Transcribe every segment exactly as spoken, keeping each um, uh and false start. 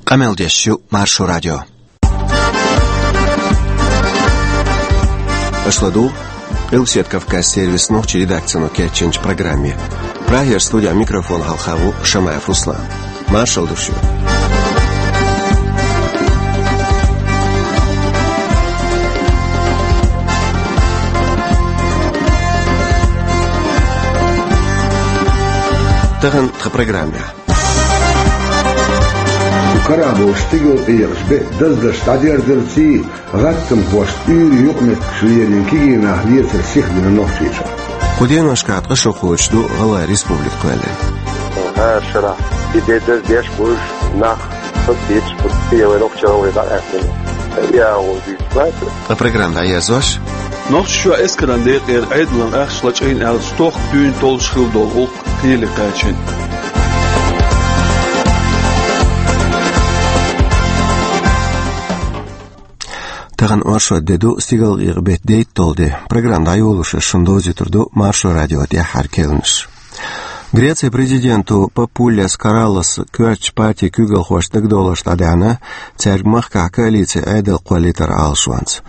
Къамел деш ю Маршо радио. Аша ладугӀу Къилбаседа Кавказан сервисан нохчийн редакцино кечйинчу программе. Прагера студехь микрофон хьалха ву Шамаев Руслан. Маршалла ду шуьга. Тахана тхан программехь. Кху карахь болуш стигала къекъаш бетта даздаш дӀадерзарций, гӀаттамхошца уьйр юкъаметтигаш лерина кегий нах лецар сихдина Нохчийчохь. Кху деношкахь ткъа шо кхочуш ду гӀалгӀай республика кхоьллина. ХӀара шарахь и де даздеш болуш нах, хаза кхеташ бу, кхе вай нохчалла вай дӀакъаьстина. Я гӀо дуьйцу бац. Ткъа программа дӀаерзош. Нохчийчохь эскаран декъера Ӏедалан ахча лачкъийна аьлла, стохка дуьйна толлуш хилла долу гӀуллакх кхеле кхаьчна. Тахана оршот де ду, стигала къекъа бетта дейтталгӀа де. Программа дӀайолош аса шуна довзуьйтур ду Маршо радион тӀаьххьара керланаш. Грецин президента Папуллес Караллас коьртачу партийн куьйгалхошца дагадовларш дӀадаьхьна, цаьрга махкахь коалицин Ӏедал кхоллийтаран Ӏалашонца.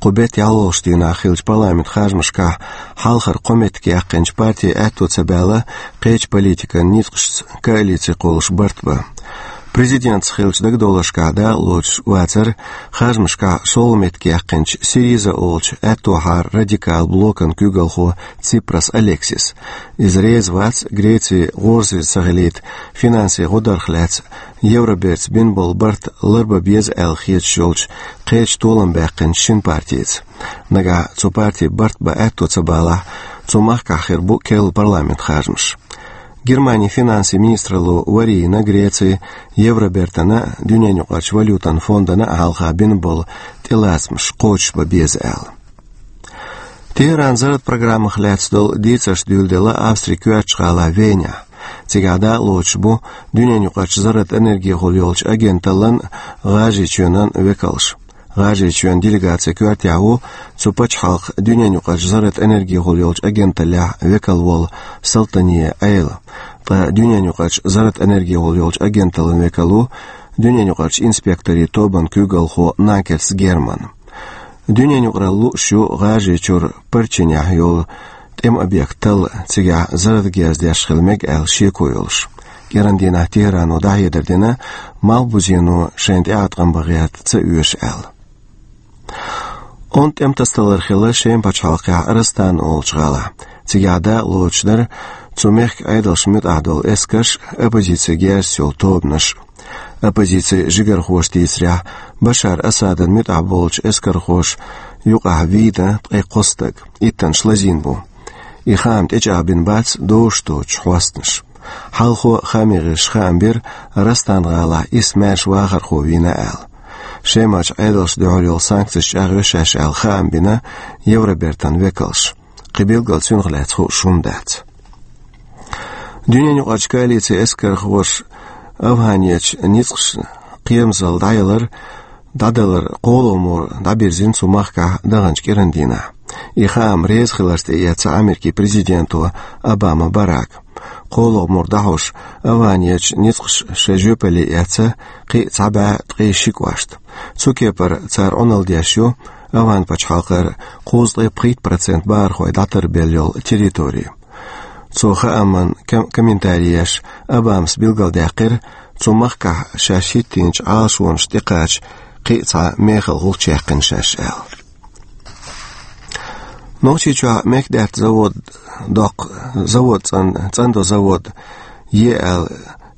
Кху беттан ялхолгӀачу дийнахь хиллачу парламентан харжамашкахь хьалхара кхо меттиг яьккхинчу партин аьтто ца баьлла, кхечу политикан ницкъашца коалици кхуллуш барт бан. Президентаца хиллачу дагадовларшкахь дакъалоцуш вацара харжамашкахь шолгӀа меттиг яьккхинчу Сириза олучу аьттохьара радикал блокан куьйгалхо Ципрас Алексис. Иза реза вац Грецин гӀорасиз ца хилийта финансийн гӀодарх лаьцна Евробертаца бина болу барт ларбан беза аьлла хеташ йолчу кхечу толам баьккхинчу шина партица. Нагахь цу партин барт бан аьтто ца балахь, цу махкахь хир бу керла парламентан харжамаш. Германин финансийн министралло вари йина Грецин, Евробертана, дуьненаюкъарчу валютан фондана а хьалха бина болу тӀелацамаш кхочушбан беза аьлла. Тегеран зарратан программах лаьцна долу дийцарш дуьйладелла Австрин коьртачу гӀалахь Венехь. Цигахь дакъалоцуш бу дуьненаюкъарчу зарратан энергехула йолчу агенталлан, ГӀажарийчоьнан векалш. ГӀажарийчоьнан делегаци коьртехь ву цу пачхьалкхан дуьненаюкъарчу зарратан энергехула йолчу агенталлехь векал волу Салтане Ӏела. Ткъа дуьненаюкъарчу зарратан энергехула йолчу агенталлан векал ву дуьненаюкъарчу инспекторийн тобан куьйгалхо Накерс Герман. Дуьненаюкъаралла лууш ю ГӀажарийчуьра Парчинехь йолу тӀеман объект талла, цигахь зарратан герз деш хила мега аьлла шеко йолуш. КӀиран дийнахь Тегерано дӀахьедар дина, малхбузено шайна тӀеӀаткъам бан гӀерта ца оьшу аьлла. Онда тӀеман тасадалар хилла Шеман пачхьалкхехь Растан олучу гӀалахь. Цигахь дакъалоцуш дара цу мехкан Ӏедалшна муьтӀахь долу эскарш а, оппозицин герзаца йолу тобанаш а. Оппозицин жигархоша дийцарехь, Башар Асадан муьтӀахь болчу эскархоша юкъахь вийна ткъе кхо стаг, иттанаш лазийна бу. И хаам тӀечӀагӀбина бац дозуш доцучу хьостанаша. Хьалхо хаамийн гӀирсаша хаам бира, Растан-гӀалахь исс маьрша вахархо вийна аьлла. Шемахь Ӏедалшна дуьхьал йолу санкцеш чӀагӀйо шаьш аьлла хаам бина Евробертан векалша. Кхин билггал цуьнах лаьцна хууш хӀума дац. Дуьненаюкъарчу коалицин эскархоша АвгӀанерчу ницкъашна кхерамзалла дӀаялар, дӀадалар кхоалгӀа мур дӀабирзина цу махкахь даханчу кӀиран дийнахь. И хаам реза хиларца тӀеэцна Америкин президента Обама Барака. КхоалгӀа мур дӀахьош, АвгӀанерчу ницкъаша шайн жоьпалле эцна кхин а цхьа бӀе ткъе ши кӀошт. Цу кепара цара Ӏуналла деш ю АвгӀан пачхьалкхера кхузткъе пхийтта процент бахархой дӀатарбелла йолу территори. Цу хааман ком-, комментари еш, Обамас билгалдаьккхира, цу махкахь шаьш хӀиттийначу Ӏалашонашна тӀекхача кхин а цхьа мехала гӀулч яьккхина шаьш аьлла. Нохчийчохь мехкдаьтта завод доккху, завод цӀан-, цӀандо завод е аьлла,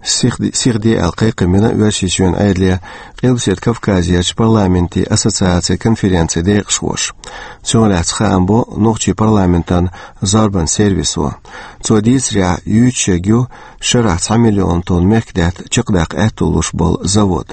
сих-, сихде аьлла кхайкхам бина Оьрсийчоьнан Ӏедале Къилбаседа Кавказерчу парламентийн ассоциацин конференцин декъашхоша. Цунах лаьцна хаам бо нохчийн парламентан зорбан сервисо. Цо дийцарехь, юьйцуш ерг ю шарахь цхьа миллион тонна мехкдаьтта чекхдаккха аьтто луш болу завод.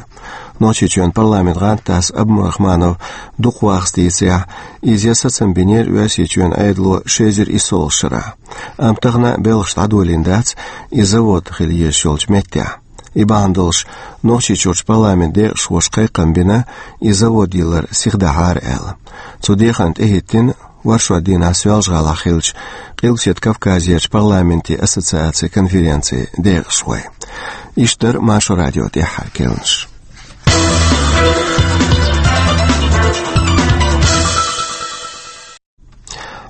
Нохчийчоьнан парламентан гӀантдас Абумурахманов дукха вахас дийцарехь, иза ян сацам бинера Оьрсийчоьнан Ӏедало ши эзар иссолгӀачу шарахь. Амма тахана белхаш дӀадолийна дац и завод хила езаш йолчу меттехь. И бахьана долуш Нохчийчуьрчу парламентан декъашхоша кхайкхам бина, и завод йиллар сихдахьара аьлла. Цу деханна тӀехӀиттина оршот дийнахь Соьлжа-ГӀалахь хиллачу Къилбаседа Кавказерчу парламентийн ассоциацин конференцин декъашхой. Иштта дара Маршо радион тӀаьххьара керланаш.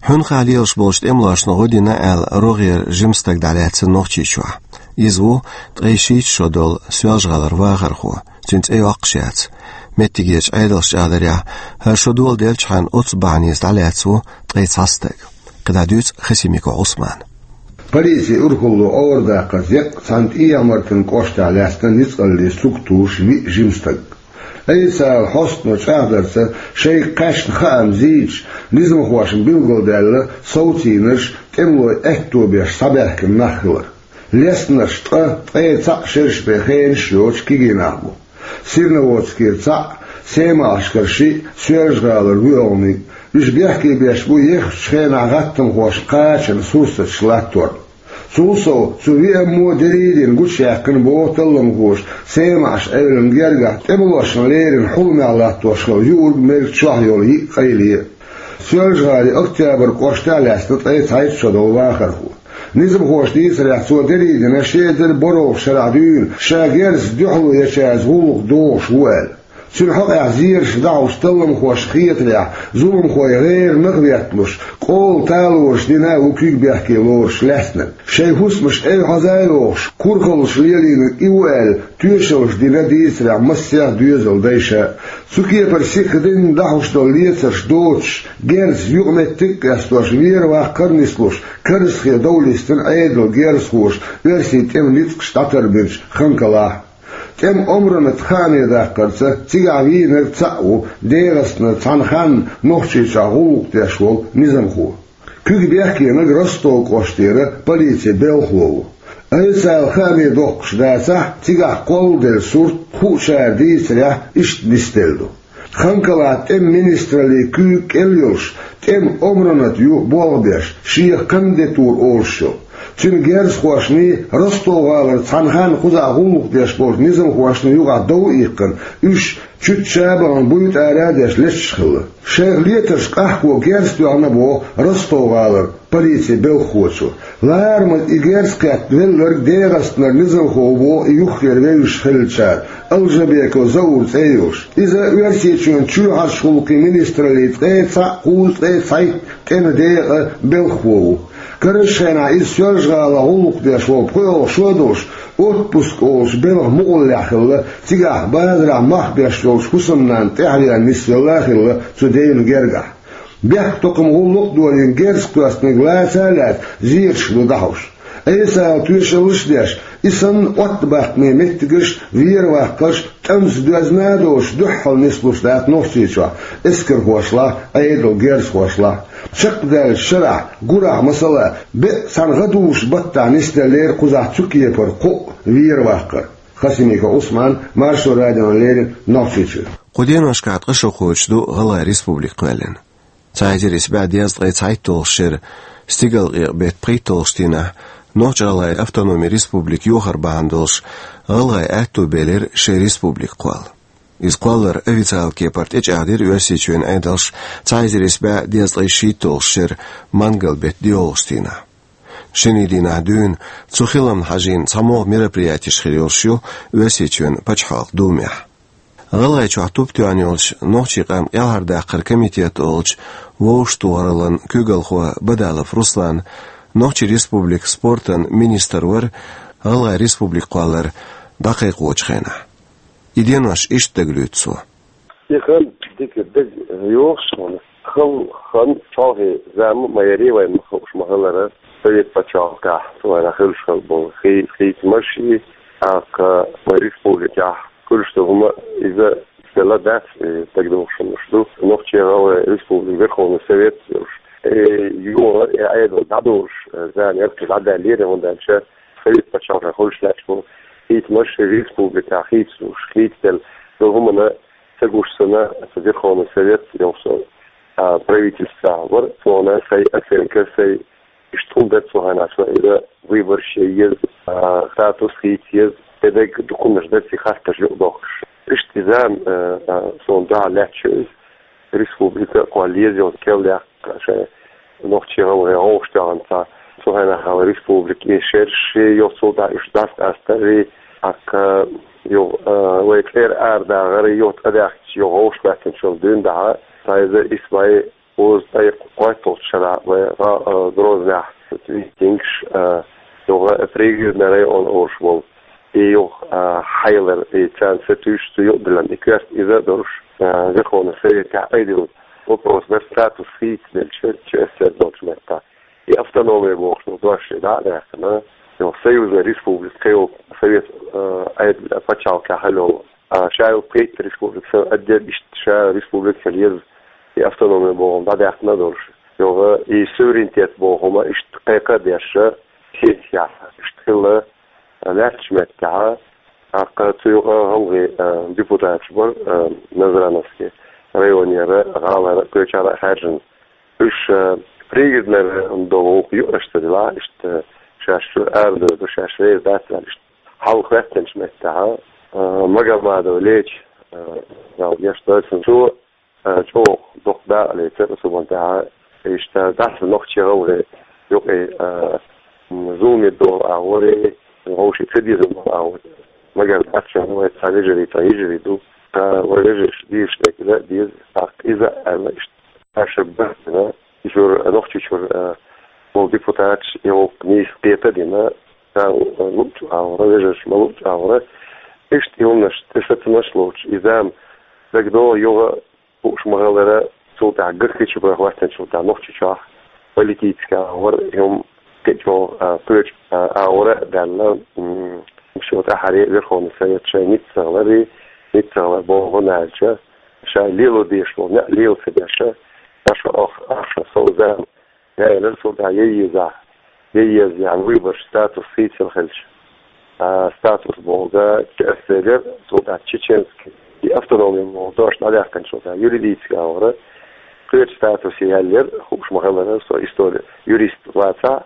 Хьуьнхахь лелаш болчу тӀемалошна гӀо дина аьлла, рогӀера жима стаг дӀалаьцна Нохчийчохь. Иза ву ткъе шийтта шо долу Соьлжа-ГӀалара вахархо, цуьнан цӀе йоккхуш яц. Меттигерчу Ӏедалша чӀагӀдарехь, хӀара шо доладелчхьана оццу бахьанийца дӀалаьцна ву ткъе цхьа стаг. КхидӀа дуьйцу Хасимиков Ӏусмана. Полицин урхалло орадаккхарца еккъа цхьана ТӀехьа-Мартанан кӀоштахь лаьцна ницкъаллин суьрт туьйсуш виъ жима стаг. Айса ала хьостано чӀагӀдарца, шайга кхаьчна хаам зийча, низамхошна билгалдаьлла совцийнарш тӀемалой аьтто беш схьабаьхкина нах хилар. Леснарш ткъа, ткъе цхьаъ шераш бен хенаш йоцуш кегий нах бу. Серноводскера цхьаъ, СемаӀашкара шиъ, Соьлжа-ГӀалара воьалгӀаниг. Уьш бехке беш бу еххачу хенахь гӀаттамхошна кхачанан сурсаташ латторна. Цул сов, цу виъ аммо дерриг а дина гучуяьккхина боху талламхоша СемаӀаш-Ӏуьйранна гергахь тӀемалошна леррина хьуламехь латтош хилла юург-мерг чохь йолу йиъ къайле а. Соьлжа-ГӀалин Октябрь кӀоштахь лаьцна ткъе цхьайтта шо долу вахархо. Низамхоша дийцарехь, цо дерриг а дина ши эзар борхӀалгӀачу шарахь дуьйна, ша герзаца дуьхьало ечаьрца гӀуллакх дохуш ву аьлла. Цуьнан хьокъехь зераш дӀахьуш, талламхошна хетарехь, зуламхой гӀеран нах ветталуш, къола талораш дина а ву куьг бехке лоруш лаьцнарг. Шайн хӀусамаш эвхьаза а йохуш, курхаллаш лелийнарг и ву аьлла, тоьшаллаш дина дийцарехь массех а доьзалан дайша. Цу кепара сиха дина дӀахьуш долу лецарш доцуш, герзаца юкъаметтиг а къестош, вер-ваккхар а нислуш, Карзахе дов листина Ӏедалан герзахоша оьрсийн тӀеман ницкъаш дӀатарбинчу Ханкалахь. ТӀеман омранат хааме даккхарца, цигахь вийнарг цхьаъ ву ДегӀастанара цхьана ханна Нохчийчохь гӀуллакх деш волу низамхо. Куьг бехкенарг Ростов кӀоштера полицин белхало ву. Айса ала хааме доккхуш дацахь, цигахь кхолладелла сурт, хуучара дийцарехь, иштта нисделла ду. Ханкалахь тӀеман министраллин куьйга кӀел йолуш, тӀеман омранат ю болх беш, шех кандидатура олуш йолу. Цуьнан герзахошний, Ростов-ГӀалара цхьана ханна кхузахь гӀуллакх деш болчу низамхошний юкъахь дов а иккхина, уьш чуьтта ша а бахана буьйта ара а деш леташ хилла. Шайх летарш къахьго герз тоьхна боху Ростов-ГӀалара полицин белхахочо. Ларамаза и герз кхетта велларг ДегӀастанара низамхо ву боху и юххера вевзаш хиллачара, Алжабеков Заур цӀе йолуш. Иза Оьрсийчоьнан чоьхьарчу гӀуллакхийн министраллин ткъе цхьаъ, кхузткъе цхьайтта тӀеман декъан белхахо ву. Карарчу хенахь иза Соьлжа-ГӀалахь гӀуллакх деш волу пхоьалгӀа шо долуш, отпуск олучу белхан мукъаллехь хилла, цигахь базарахь мах беш йолчу хӀусамнанна тӀаьхьавеана нисвелла а хилла цу девнан гергахь. Бехктокхаман гӀуллакх а долийна герз кхоьссинарг лаца а лаьцна, зераш ду дӀахьуш. Айса ала тоьшаллаш а деш, и санна оттабаккхаме меттигаш, вер-ваккхарш тӀамца доьзна а доцуш дуьххьал нислуш дац Нохчийчохь эскархошлахь, Ӏедалан герзахошлахь. Чекхдаьллачу шарахь, гурахь, масала, беа цхьана гӀадужу баттахь нисделлера кхузахь цу кепара кхоъ вер-ваккхар. Хасимиков Ӏусман, Маршо радиона леррина, Нохчийчуьра. Кху деношкахь ткъа шо кхочуш ду ГӀалгӀайн Республика кхоьллина. Цхьа эзар исс бӀе дезткъе цхьайтталгӀачу шеран стигалкъекъа беттан пхийтталгӀачу дийнахь Нохч-ГӀалгӀайн Автономин Республика йохар бахьана долуш, гӀалгӀайн аьтто белира шайн республика кхолла. Иза кхолларан официалан кепара тӀечӀагӀдира Оьрсийчоьнан Ӏедалша цхьа эзар исс бӀе дезткъе шийтталгӀачу шеран мангал беттан доьалгӀачу дийнахь. Шинарин дийнахь дуьйна цу хиламна хьажийна цхьа могӀа мероприятеш хир йолуш ю Оьрсийчоьнан Пачхьалкхан Думехь. ГӀалгӀайчохь туп тоьхна йолчу Нохчийн къам кӀелхьардаккхаран комитет олучу вовшахтохараллин куьйгалхо Бадалов Руслан Нохчийн Республикан спортан министр вара ГӀалгӀайн Республика кхоллар дӀакхайкхочу хенахь. И денош иштта дагалуьйцу цо. И хан дика дага йохуш хьуна. Хала хан чӀогӀа зама ма яра вайн ма хууш ма хилара. Совет пачхьалкхехь цу хенахь хуьлуш хилла болу хи-, хийцамаш и, тӀаккха вайн республикехь хуьлуш ду хӀума, иза стелла дац, и дагадогӀуш хӀуманаш ду. Нохчийн ГӀалгӀайн Республикан Верховный Совет йолуш. Э, юха и Ӏедал дӀадолуш, э, зама яра, дӀадаьллера, хӀунда аьлча Совет пачхьалкхехь хуьлуш лаьтташ болу хийцамаш республикехь хийцалуш, хийцаделла, цу хӀуманна ца гуш санна, аса Верховный Совет йолуш, а, правительство вара, цунна сайн оценка, сайн иштта хӀума дац цу хенахь, иза выбораш ян еза, а, статус хийца еза, дерриг документаш дац и хаттарш юкъадоккхуш. Иштта иза, а, а, суна дуьхьал лаьтташ ю иза. Республика кхолла еза йолу кӀел яккха шайн Нохчийн ГӀалгӀай гӀовгӀа тоьхна цхьа. Цу хенахь хьала республика и шераш йоцул дӀа уьш дӀасакъастарий, тӀаккха Юха, а, вай цӀера арадагӀар, юха тӀадаьхкача, юха вовшахкхоаччунчул дуьйна дахьа, цхьа эзар исс бӀе укхаза ткъаь кхойтта шера вай гӀа-, а, Грознехь митингаш, а, юха Пригородный район олуш волу, и юха, а, хьайлар, и царна сатуьйсуш цу юкъадиллина, и коьрта иза а долуш, а, Верховный Советехь айдина вопрос дара, статус хийцаделча, ЧССР долчу меттехь. И автономия бохуш долу дош дӀа а даьккхина, йо, союзная республика, кхин йолу совет, э, Ӏедал пачхьалкхехь хьалол. А ша йолу кхийтта республика, сан отдельно иштта ша республика хила еза, и автономия бохург дӀадаьккхина а долуш. Йо, и суверенитет бохург ма иштта кхайкха а деш, сетахь иштта хилла, лаьттачу меттехь, тӀаккха цу юкъа гӀалгӀай, э, депутаташ бара, э, Назрановский районера, гӀалара, кхечара а хаьржина. Уьш, э, Пригородный район долу гӀуллакх ю аша ца дилахь, иштта шаьш чуьра арадевр ду, шаьш реза дац аьлла, иштта хьал хӀоьттинчу меттехь, э, Магомадов Леча, э, Дала гечдойла цунна, цо, э, чӀогӀа доккха дакъа лецира цу бантехь, иштта дац нохчий-гӀалгӀай юкъе, э, м, зуламе долу агӀор, вовшийн ца деза долу агӀор. Магар дац шуна, вай цхьа вежарий, цхьа йижарий ду. Ткъа вай вежарша дезаш дерг дан а деза, тӀаккха иза а аьлла иштта. Аша бахана, иза чуьра, Нохчийчуьра, а, болу депутаташ и гӀуллакх нийса кхета а дина, царна луучу агӀора, вежарша ма луучу агӀора. Иштта и хӀуманаш, тӀе сацамаш лоцуш, и зама дагадогӀу юха хууш ма-хиллара, цул тӀаьхьа Гахкичи боху хӀоьттинчул тӀаьхьа Нохчийчохь политически агӀор, и хӀума кхечу, а, кхечу, а, агӀора а даьлла, м, шо тӀаьхьара Верховный Совет шайн ницкъ ца хилар, ницкъ ца хилар боху хӀунда аьлча, ша лело дезаш волу некъ лела ца деш, ша шо ох-, ах шо сов зама яьллера, цул тӀаьхьа яй еза, яй еза, яьхьна выбораш статус хийцина хилча. А, статус бохург ЧССР, цул тӀаьхьа чеченский, и автономия бохург дош дӀадаьккхинчул тӀаьхьа юридически агӀора, кхечу статусе яьллера, хууш ма-хиллара, со истори юрист вацахь,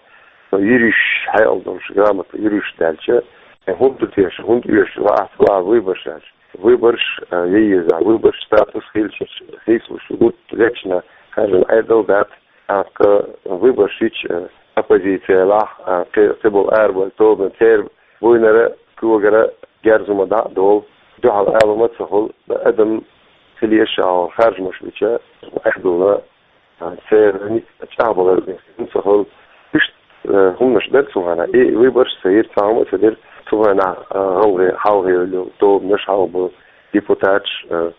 со юриш хьекъал долуш, грамота юриш даьлча, э, хӀунда ду теша, хӀунда оьшу, ваахь ца ваха выбораш аьлча. Выбораш, э, яй еза, выбораш статус хилча, хийцалуш гуттар а лечна, хаьржина Ӏедал дац, тӀаккха выбораш йича, э, оппозици елахь, э, кхи-, кхиболу арабевлла тобанаш, церан буйнара, когара герз хӀума дӀа а долу, дуьхьал ала хӀума ца хуьлу, адам хила еза ша хьо харжамаш бича, Ӏедална, а, церан ницкъ чӀагӀбалар бен хила ца хуьлу. Иштта, э, хӀуманаш дара цу хенахь. И выбораш ца йира, цхьа хӀума а ца дира. Цу хенахь, э, гӀалгӀай хьалха йолу тобанаш, хьалха болу депутаташ, э,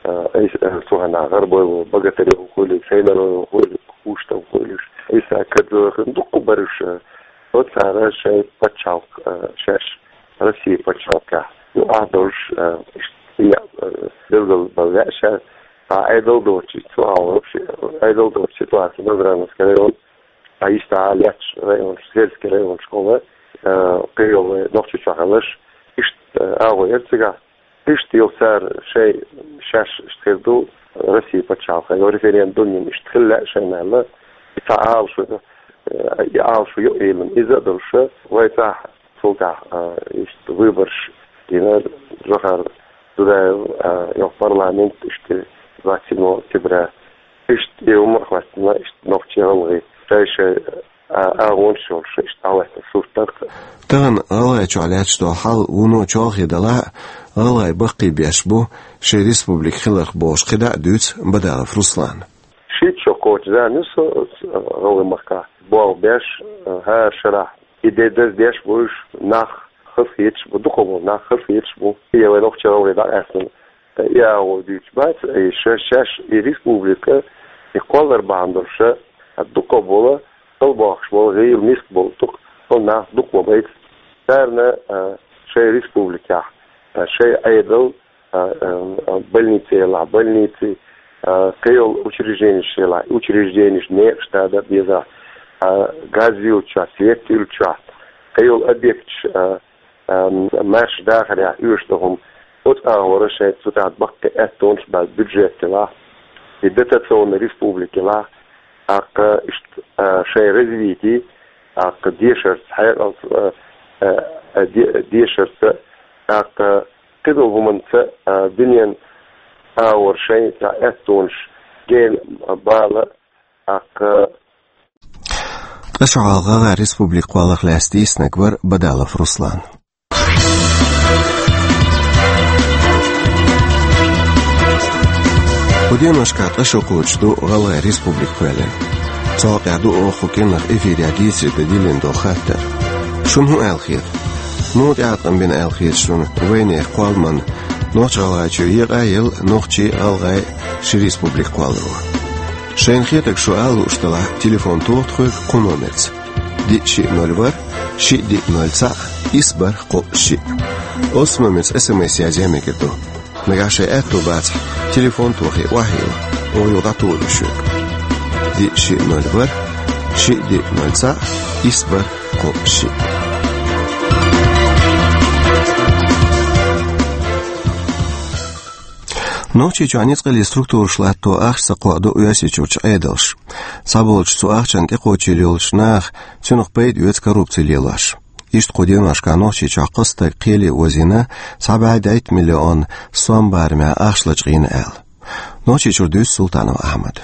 э, айса, э, цу хенахь ГӀарбойло, Богатырев хуьлийла, Шаймараев хуьлийла, Куштов хуьлийла, Исакадзе, дуккха бара уьш, э, оцара шайн пачхьалкх, э, шаьш Россия пачхьалкхехь. Ну, ахь долуш, э, иштта, э, билгал бан веа ша, а Ӏедал доцучу, цу агӀор вообще, Ӏедал доцучу ситуация Назрановский район, а иштта а лаьтташ районаш, сельский районаш хьуна, э, кхийолу Нохчийчохь хиларш, иштта, э, агӀо яра цигахь. Иштта йолу цара шайн шаьш иштта хир ду, Россия пачхьалкхехь, йо, референдум йина иштта хила лаьа шайна аьлла, и цхьа Ӏалашо, э, и Ӏалашо юкъа йиллина. Иза а долуш, вай цхьа цул тӀаьхьа, э, иштта выбораш дина, Джохар Дудаев, э, йо, парламент иштта двадцать седьмого октября. Иштта и хӀума а хӀоьттина, иштта нохчий, гӀалгӀай шай-шай, а, агӀонаш йолуш, иштта дӀахӀоьттина сурт дара. Тахана ГӀалгӀайчохь лаьтташ долу хьал вуно чолхе далахь а, гӀалгӀай баккхий беш бу шайн республика хиларх бохуш кхидӀа а дуьйцу Бадалов Руслана. Шийтта шо кхочу зама ю со, со гӀалгӀай махкахь болх беш, хӀара шарахь и де даздеш бу уьш, нах хазахеташ бу, дукхахболу нах хазахеташ бу. И вай нохчий, гӀалгӀай дӀакъаьстина и агӀо дуьйцуш бац, и ша-, шаьш и республика, и кхоллар бахьана долуш, а, дукхахболу, кхалбохкуш болу, гӀийла миска болу дукха, кхалнах дукха ма байта. Царна, а, шайн республикехь, а, шайн Ӏедал, а, а, а, больница елахь, больници, а, кхийолу учрежденеш елахь, учрежденеш некъаш дада безахь, а, газ юьллучохь, свет юьллучохь, кхийолу объекташ, а, ам, маьрша дахарехь оьшу ду хӀума. Оцу агӀора шайн цу тӀехь баккхий аьттонаш бац, бюджет елахь, и дотационный республика елахь, тӀаккха иштта, а, шайн развитие, тӀаккха дешарца, хьекъалца, а, а, а, де-, дешарца, тӀаккха кхидолу хӀуманца, а, дуьненан агӀора шайн цхьа аьттонаш гена бала, тӀаккха Ткъа шо хьалха гӀалгӀай республика кхолларх лаьцна дийцинарг вара Бадалов Руслан. Кху деношкахь ткъа шо кхочуш ду ГӀалгӀай Республика кхоьллина. Цул тӀаьхьа ду оха кху кӀиранах эфирехь дийцаре дан диллина долу хаттар. Шуна хӀун аьлла хета? Муха тӀеӀаткъам бина аьлла хета шуна вайнехан кхолламан Нохч-ГӀалгӀайчу екъа а елла нохчий а, гӀалгӀай а ши республика кхолларо? Шайна хетарг шу ала лууш делахь, телефон тоха тхоьга кху номерца: диъ шиъ ноль ворхӀ, шиъ диъ ноль цхьаъ, исс бархӀ кхоъ шиъ. Оццу номерца СМС язъян мегар ду. Нагахь шайн аьтто бацахь, телефон тохий охьайилла, оха юха дӀатухур ю шуьга. Диъ шиъ ноль ворхӀ, шиъ диъ ноль цхьаъ, исс бархӀ кхоъ шиъ. Нохчийчохь ницкъаллин структураш латто ахча ца кхоадо Оьрсийчуьрчу Ӏедалша. Цхьаболчу цу ахчанна тӀекхочийла йолчу наха, цунах пайда оьцу коррупци лелош. Иштта кху деношкахь Нохчийчохь кхо стаг кхеле озийна, цхьа бӀе дейтта миллион сом барамехь ахча лачкъийна аьлла. Нохчийчуьра дуьйцу Султанов Ахьмада.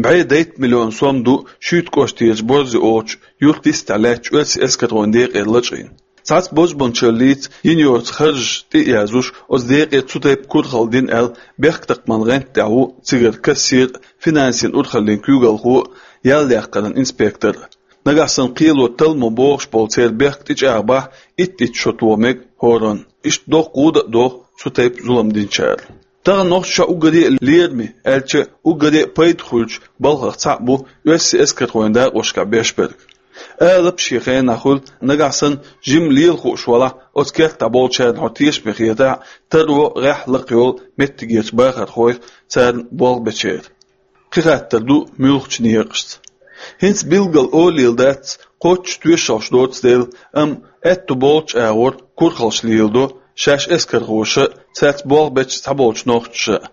БӀе дейтта миллион сом ду Шуьйта кӀоштарчу Борзи олучу юьртан йистехь лаьттачу оьрсийн эскархойн декъера лачкъийна. Цхьацца бозбуунчаллица йина йоцу харжаш тӀе а яздеш, оцу декъе цу тайпа курхалла дина аьлла, бехктакхаман гӀанта тӀехь ву цигара кассир а, финансийн урхаллин куьйгалхо а, ял яккхаран инспектор а. Нагахь санна кхело талламо богӀуш болу церан бехк тӀечӀагӀбахь, итт-итт шо тоха мега хӀоранна. Иштта доккха гӀуда а доху цу тайпа зулам динчара. Тахана Нохчийчохь уггаре а лераме, аьлча а уггаре а пайда хуьлучу балхах цхьаъ бу оьрсийн эскархойн дакъошкахь беш берг. Алапа шен хенахь хуьлу, нагахь санна жимма лела хууш валахь, оцу кертахь болчарна хьо тешаме хетахь, таро гӀеххьа лакха йолу меттигерчу бахархойх, царна болх бечеран. Кхин хаттар ду муьлххачу некъашца. ХӀинца билггал олийла дац, кхоччуш тоьшаллаш доцу дела, амма аьтто болчу агӀор курхаллаш леладо шаьш эскархоша а, цаьрца болх бечу цхьаболчу нохчаша а.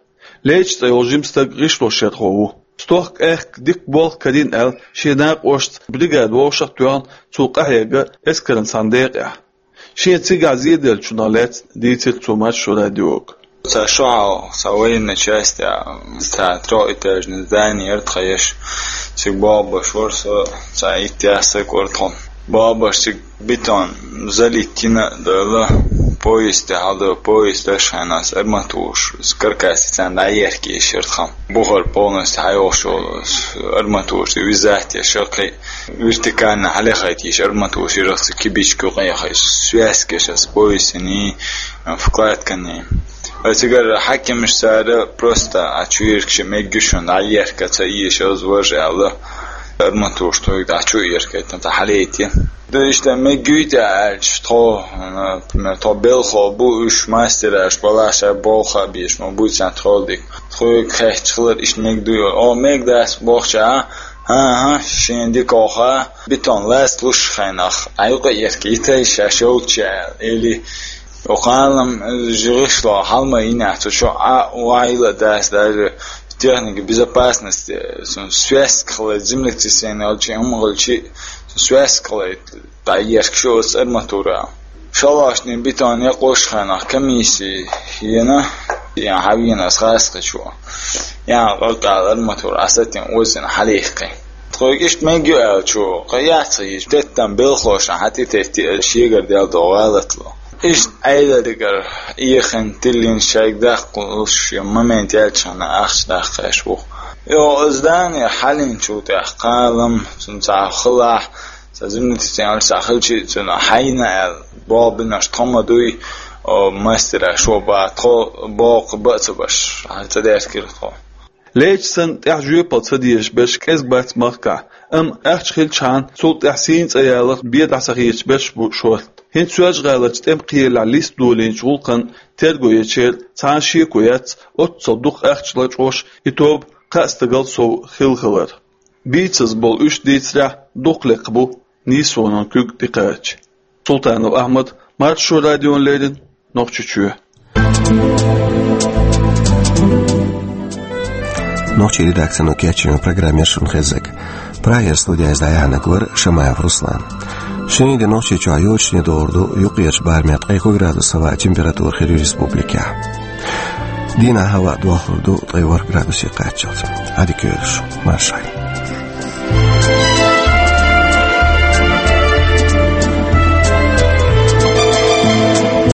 Лейча цӀе йолу жима стаг гӀишлошъярхо ву. Стохка аьхка дикка болх карийна аьлла, шен накъошца бригада вовшах а тоьхна, цо къахьегна эскаран цхьана декъехь. Шен цигахь зеделлачунах лаьцна дийцира цо Маршо радиога. Цхьа шо хьалха, цхьа военная часть, цхьа трёхэтажный здание яра тхан еш. Цига болх беш вара со, цхьа итт-итт стаг вара тхо. Болх беш цига бетон залить йина а делла, пояс тӀе хьалдо, пояс деш хьайна ас арматураш, каркас царна дӀаеркийша яра тхан. Бухара полностью хьайогӀуш йолу арматураш, вязать еш яра кхин. Вертикально хьалехайта йиш арматура ширах ца кибичка юкъа яхай связкаш ас поясаний, вкладканий. Ва цигара хьаькамаш цара просто а чуьйргаш меггиш шуна дӀаерка ца ийша аз вожа аьлла. Арматура тхоьга дӀа чу а еркайтан, цхьа хьалейти. Да иштта меггуьйту аьлча, тхо, например, тхо белхо бу, уьш мастераш балаша болха а беш, ма буьйцан тхол дика. Тхоьга хехча хилар иштта мегдуй, о, мегдац бохча, а? ХӀан-хӀа, шен дикоха, бетон лац луш хенах, а юкъа ерка йитай шаьш йолча, или окхалам жигӀишло хьалма йина цу чу а вайла дац даже техника безопасности, сун связка хила землетрясение алчи, хӀума гӀалчи, сун связка хила дӀаешка шу оцу арматура. Шалашний бетон якъош хенах комиссия йина, ян хьавийна ас хасхачу. Ян къакъал арматура асатин озина хьалихкхи. Тхойга иштта мегга ю аьлчу, кхы яц хьийча, теттам белхоша хьатӀи тетти шегар дел до гӀалатло. Иштта Ӏедалигара ийхина тиллина шайга даккхалуш я момент яьлчахьана ахча даккхаш ву. Йо, здание хьалинчу тӀехь кхалам, цунца хилахь, ца зимнитицен аль са хилчи, цуна хьайна аьлла, бо бинаш тхо ма дуй, о, мастера шо ба, тхо боккха ба ца баш, хьан ца деркира тхо. Лейча санна, тӀаьхьа жоьпал ца дезаш берш кӀезиг бац махкахь, амма ахча хилчхьана, цул тӀаьхьа сийна цӀа яларх бен дӀа ца хеташ берш бу шорта. ХӀинца Соьлжа-ГӀаларчу тӀемакхелехь листа долийначу гӀуллакхан терго ечеран цхьана шеко яц, оццул дукха ахча лачкъош и тоба кхаа стагал сов хилла хилар. Бийцаза болу уьш дийцарехь, дукха лекха бу нийсонан куьг тӀекхача. Султанов Ахьмад, Маршо радиона леррина, Нохчийчоь. Нохчийн редакцино кечйина программа яра шуна хезнарг. Прагера студера иза дӀаяьхьнарг вара Шамаев Руслан. Шинарин де Нохчийчохь йочане догӀур ду юккъерчу барамехь ткъе кхо градус хӀаваан температура хир ю республикехь. Дийнахь хӀаваъ дохлур ду ткъе ворхӀ градусе кхаччалц. Ӏадика йойла шу, маршалла.